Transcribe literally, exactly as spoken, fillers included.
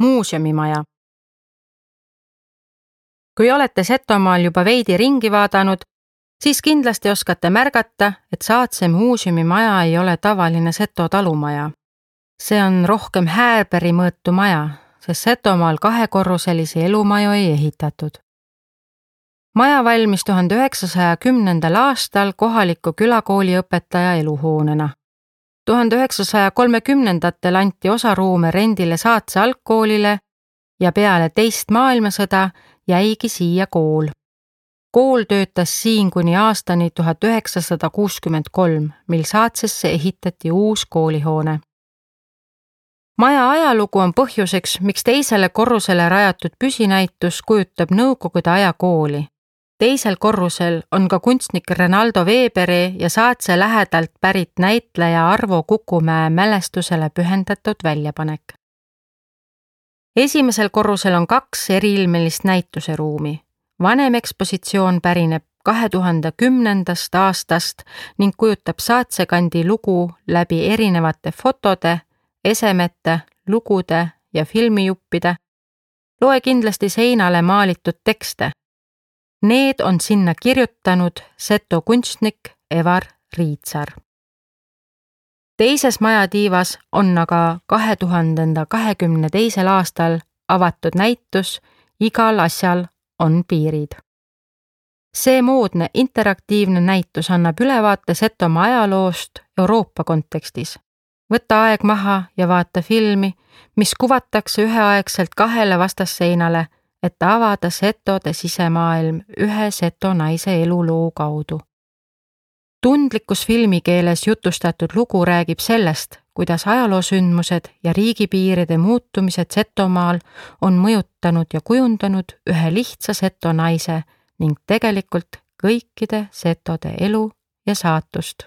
Muuseumimaja. Kui olete Setomaal juba veidi ringi vaadanud, siis kindlasti oskate märgata, et Saatse muuseumimaja ei ole tavaline Seto talumaja. See on rohkem Häärbergi mõõtu maja, sest Setomaal kahekorruselisi elumaju ei ehitatud. Maja valmis tuhande üheksasaja kümnendal aastal kohaliku külakooli õpetaja eluhoonena. tuhande üheksasaja kolmekümnendatel anti osa ruume rendile Saatse algkoolile ja peale teist maailmasõda jäigi siia kool. Kool töötas siin kuni aastani tuhat üheksasada kuuskümmend kolm, mil Saatsesse ehitati uus koolihoone. Maja ajalugu on põhjuseks, miks teisele korrusele rajatud püsinäitus kujutab Nõukogude aja kooli. Teisel korrusel on ka kunstnik Renaldo Weberi ja Saatse lähedalt pärit näitleja Arvo Kukumäe mälestusele pühendatud väljapanek. Esimesel korrusel on kaks eriilmelist näituseruumi. Vanem ekspositsioon pärineb kahe tuhande kümnendast aastast ning kujutab Saatse kandi lugu läbi erinevate fotode, esemete, lugude ja filmijuppide. Loe kindlasti seinale maalitud tekste. Need on sinna kirjutanud Seto kunstnik Evar Riitsar. Teises majatiivas on aga kahe tuhande kahekümne teisel aastal avatud näitus Igal asjal on piirid. See moodne interaktiivne näitus annab ülevaate Setomaa ajaloost Euroopa kontekstis. Võta aeg maha ja vaata filmi, mis kuvatakse üheaegselt kahele vastasseinale, et avada Setode sisemaailm ühe Seto naise eluloo kaudu. Tundlikus filmikeeles jutustatud lugu räägib sellest, kuidas ajaloosündmused ja riigipiiride muutumised Setomaal on mõjutanud ja kujundanud ühe lihtsa Seto naise ning tegelikult kõikide Setode elu ja saatust.